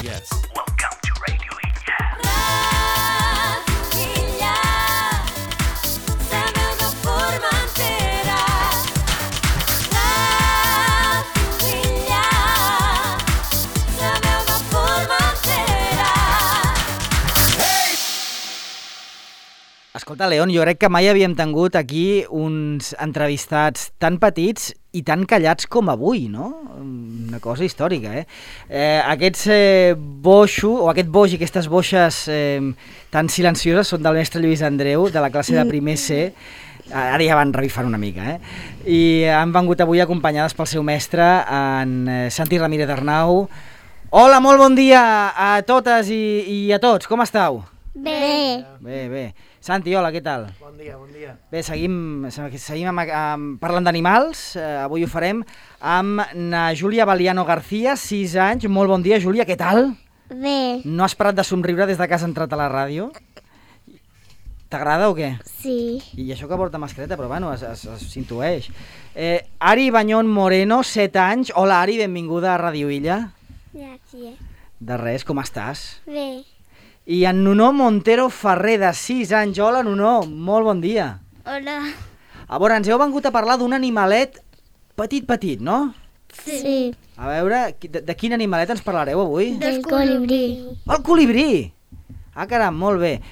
Yes. Welcome to Radio Illa. Radio Illa, la veu de Formentera. Radio Illa, la veu de Formentera. Escolta, León, jo crec que mai havíem tingut aquí uns entrevistats tan petits i tan callats com avui, no? Una cosa històrica, Aquests boixo, o aquest boix i aquestes boixes tan silencioses són del mestre Lluís Andreu, de la classe de primer C. Ara ja van revifant una mica, I han vengut avui acompanyades pel seu mestre, en Santi Ramírez Arnau. Hola, molt bon dia a totes i a tots, com estàu? Bé. Bé. Santi, hola, què tal? Bon dia. Bé, seguim parlant d'animals. Avui ho farem amb na Júlia Valiano García, 6 anys. Molt bon dia, Júlia, què tal? Bé. No has parat de somriure des de que has entrat a la ràdio? T'agrada o què? Sí. I això que porta mascareta, però bueno, s'intueix. Ari Bañón Moreno, 7 anys. Hola, Ari, benvinguda a Radio Illa. Gràcies. De res, com estàs? Bé. I en Nuno Montero Ferrer, de 6 anys. Hola, Nuno, molt bon dia. Hola. A veure, ens heu vengut a parlar d'un animalet petit, no? Sí. A veure, de quin animalet ens parlareu avui? Del colibrí. El colibrí! Ah, caram, molt bé.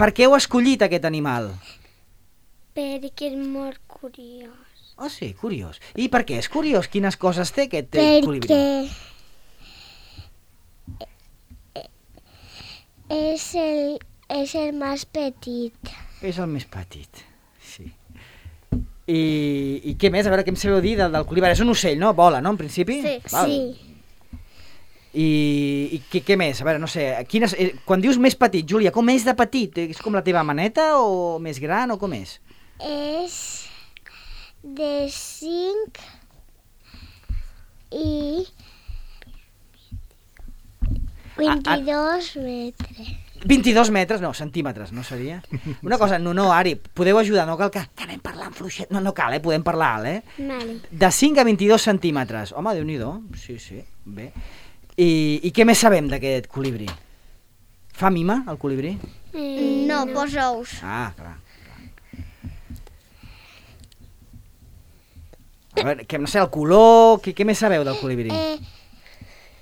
Per què heu escollit aquest animal? Perquè és molt curiós. Oh, sí, curiós. I per què és curiós? Quines coses té aquest colibrí? Perquè és el més petit. És el més petit, sí. I què més? A veure, què em sabeu dir del colibrí? És un ocell, no? Vola, no, en principi? Sí. Val. Sí. I què més? A veure, no sé, quan dius més petit, Júlia, com és de petit? És com la teva maneta o més gran o com és? És de 5 i 22 metres. 22 metres, no, centímetres, no seria? Una cosa, no, Ari, podeu ajudar, no cal que anem parlant fluixet, no cal, podem parlar alt, Vale. De 5 a 22 centímetres, home, Déu-n'hi-do, sí, bé. I què més sabem d'aquest colibrí? Fa mima, el colibrí? No, posa ous. Ah, clar. A veure, no sé, el color, què més sabeu del colibrí?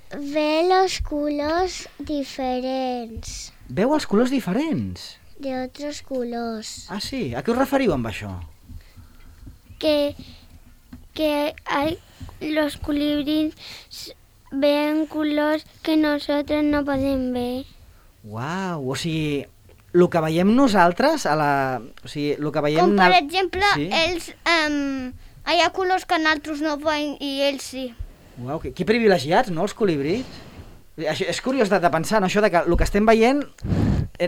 Ve los colors diferents, Veu els colors diferents? de otros colors. Ah, sí? A què us referiu amb això? Que los colibríes ven colors que nosotros no podem ver. Uau, o sigui, el que veiem nosaltres, o sigui, el que veiem... Com per exemple, sí? ells, hi ha colors que nosaltres no veiem i ells sí. Uau, que privilegiats, no, els colibrís? Això, és curiós de pensar, no? Això de que el que estem veient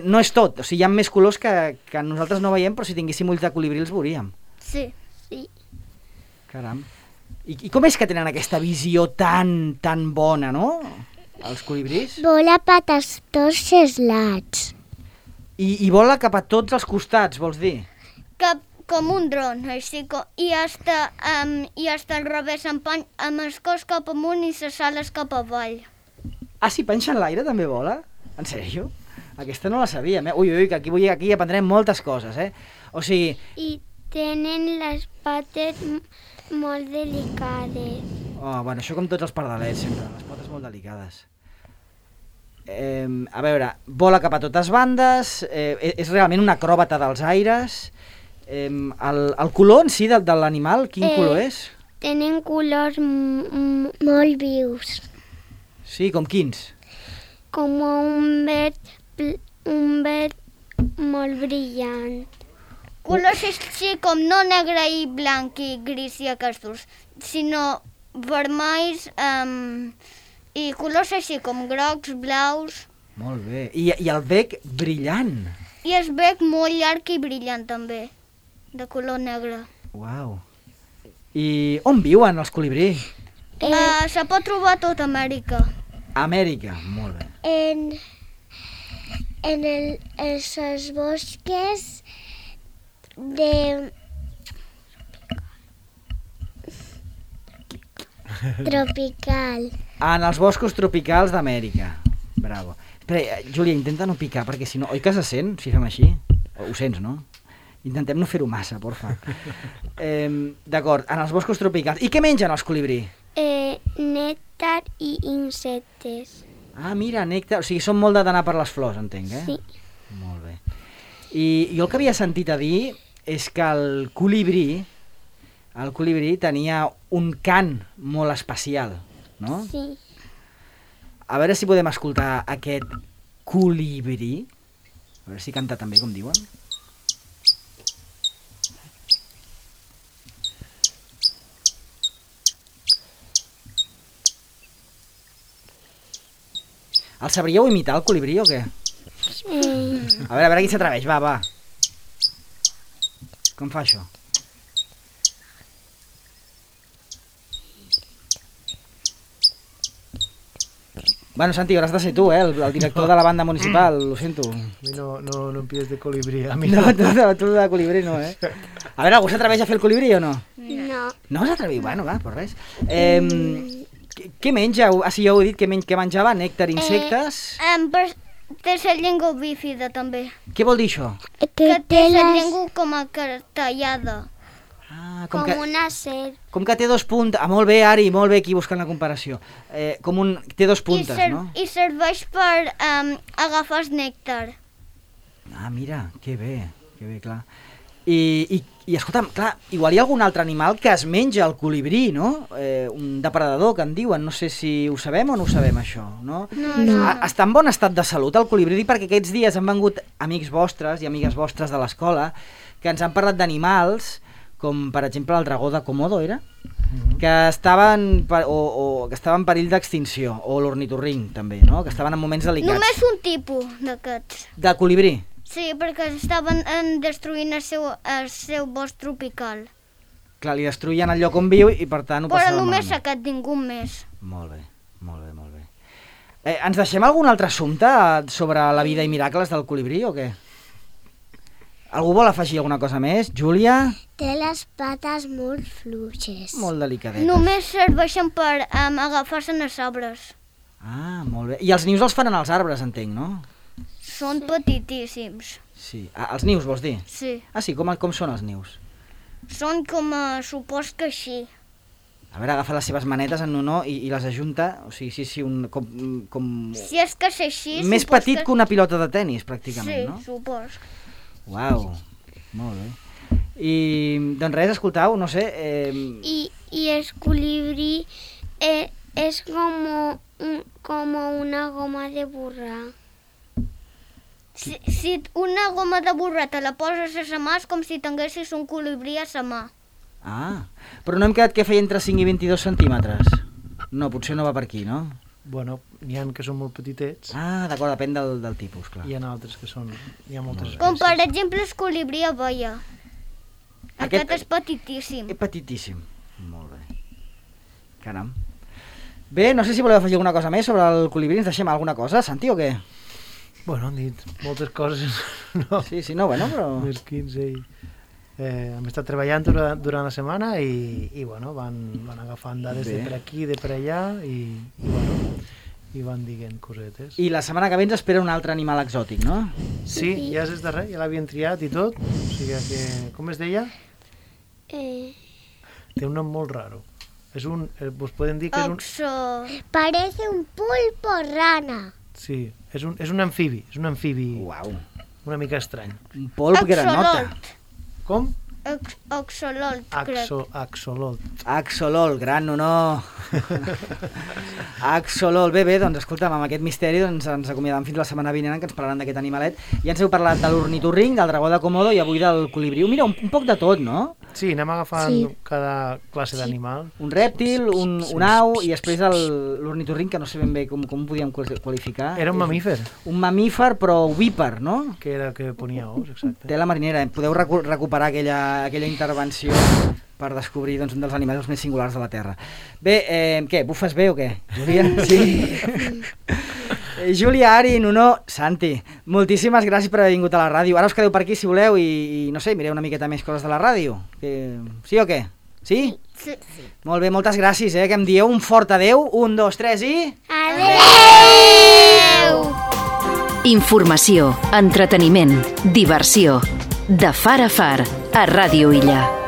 no és tot, o sigui, hi ha més colors que nosaltres no veiem, però si tinguéssim ulls de colibrí els veuríem. Sí. Caram. I com és que tenen aquesta visió tan bona, no? Els colibrís? Vola per tots els lados. I vola cap a tots els costats, vols dir? Com un dron, així com... I hasta al revés, amb el cos cap amunt i les ales cap avall. Ah, si penja en l'aire també vola? En sèrio? Aquesta no la sabíem, Ui, que aquí aprendrem moltes coses, O sigui... I tenen les pates molt delicades. Oh, bueno, això com tots els pardalets, sempre, les potes molt delicades. A veure, vola cap a totes bandes, és realment una acròbata dels aires. El color en si de l'animal, quin color és? Tenen colors molt vius, Sí, com quins? com un verd molt brillant. Colors així com no negre i blanc i gris i aquests, sinó vermells i colors així com grocs, blaus. Molt bé. I el bec brillant. I el bec molt llarg i brillant també, de color negre. Uau. I on viuen els colibrí? Se pot trobar a tota Amèrica. Amèrica, molt bé. En els bosques tropical. En els boscos tropicals d'Amèrica. Bravo. Espera, Júlia, intenta no picar, perquè si no... Oi que se sent, si fem així? Ho sents, no? Intentem no fer-ho massa, porfa. D'acord, en els boscos tropicals. I què mengen els colibrí? Nèctar i insectes. Ah, mira, nèctar. O sigui, són molt d'anar per les flors, entenc, Sí. Molt bé. I jo el que havia sentit a dir és que el colibrí tenia un cant molt especial, no? Sí. A veure si podem escoltar aquest colibrí. A veure si canta també, com diuen. El sabríeu imitar, el colibrí, o què? A veure qui s'atreveix, va. Com fa això? Bueno, Santi, hauràs de ser tu, el director de la banda municipal, lo sento. A mi no em pides de colibrí, a mi No, tu de colibrí no, A veure, algú s'atreveix a fer el colibrí o no? No. No s'atreviu? Bueno, va, pues res. Què menja? Si ja ho he dit, què menjava? Nèctar, insectes? Té la llengua bífida, també. Què vol dir això? Que té la llengua com a tallada. Ah, Com una serp. com que té dos puntes. Ah, molt bé, Ari, molt bé, aquí buscant la comparació. Té dos puntes, no? I serveix per agafar el nèctar. Ah, mira, que bé, clar. I escolta'm, clar, igual hi ha algun altre animal que es menja el colibrí, no? Un depredador, que en diuen, no sé si ho sabem o no ho sabem, això, no? No. Està en bon estat de salut el colibrí, perquè aquests dies han vengut amics vostres i amigues vostres de l'escola que ens han parlat d'animals, com per exemple el dragó de Komodo, era? Que estaven en perill d'extinció, o l'ornitorrinc també, no? Que estaven en moments delicats. Només un tipus d'aquests. De colibrí? Sí, perquè estaven destruint el seu bosc tropical. Clar, li destruïen el lloc on viu i per tant ho Però passava només malament. aquest ningú més. Molt bé. Ens deixem algun altre assumpte sobre la vida i miracles del colibrí o què? Algú vol afegir alguna cosa més? Júlia? Té les pates molt fluixes. Molt delicadetes. Només serveixen per agafar-se en els arbres. Ah, molt bé. I els nius els fan en els arbres, entenc, no? Són petitíssims. Sí. Els nius, vols dir? Sí. Ah, sí, com són els nius? Són com supos que així. A veure, agafa les seves manetes en honor i les ajunta, o sigui, sí, com... Si és que és així... Més petit que una pilota de tennis, pràcticament, no? Sí, supos. Uau, molt bé. I, doncs res, escoltau, no sé... I el colibrí és com una goma de borrar. Si una goma de borrar te la poses a la mà és com si tinguessis un colibrí a la mà. Ah, però no hem quedat que feia entre 5 i 22 centímetres. No, potser no va per aquí, no? Bueno, n'hi ha que són molt petitets Ah, d'acord, depèn del tipus, clar. i hi ha altres que són... Hi ha moltes Com per espècies. exemple el colibrí abella. Aquest és petitíssim. És petitíssim. Molt bé. Caram. Bé, no sé si voleu afegir alguna cosa més sobre el colibrí. Ens deixem alguna cosa, Santi, o què? Bueno, han dit moltes coses, no? Sí, no, bueno, però... Més 15 i... hem estat treballant durant la setmana i bueno, van agafant dades Bé. de per aquí, de per allà bueno, i van dient cosetes. I la setmana que ve ens espera un altre animal exòtic, no? Sí, ja és darrer, ja l'havien triat i tot, o sigui que, com es deia? Té un nom molt raro. És un, vos podem dir que és un... Parece un pulpo rana. Sí, és un amfibi, Uau. una mica estrany. Un polp granota. Com? Axolot, crec. Axolot. Axolol, gran honor. Axolol. Bé, doncs escolta'm, amb aquest misteri ens acomiadam fins la setmana vinent que ens parlaran d'aquest animalet. Ja ens heu parlat de l'ornitorrinc, del dragó de Komodo i avui del colibrí. Mira, un poc de tot, no? Sí, anem agafant cada classe d'animal. Un rèptil, un au i després l'ornitorrinc, que no sé ben bé com ho podíem qualificar. Era un mamífer, Un mamífer, però ovípar, no? que era que ponia ous, exacte. Té la marinera. Podeu recuperar aquella intervenció per descobrir doncs, un dels animals més singulars de la Terra. Bé, què, bufes bé o què? Júlia? Sí? Júlia, Ari, Nuno, Santi, moltíssimes gràcies per haver vingut a la ràdio. Ara us quedeu per aquí si voleu i no sé, mireu una miqueta més coses de la ràdio. Sí o què? Sí? Sí. Molt bé, moltes gràcies, que em dieu un fort adeu. 1, 2, 3 i... Adéu! Informació, entreteniment, diversió. De far a far, a Ràdio Illa.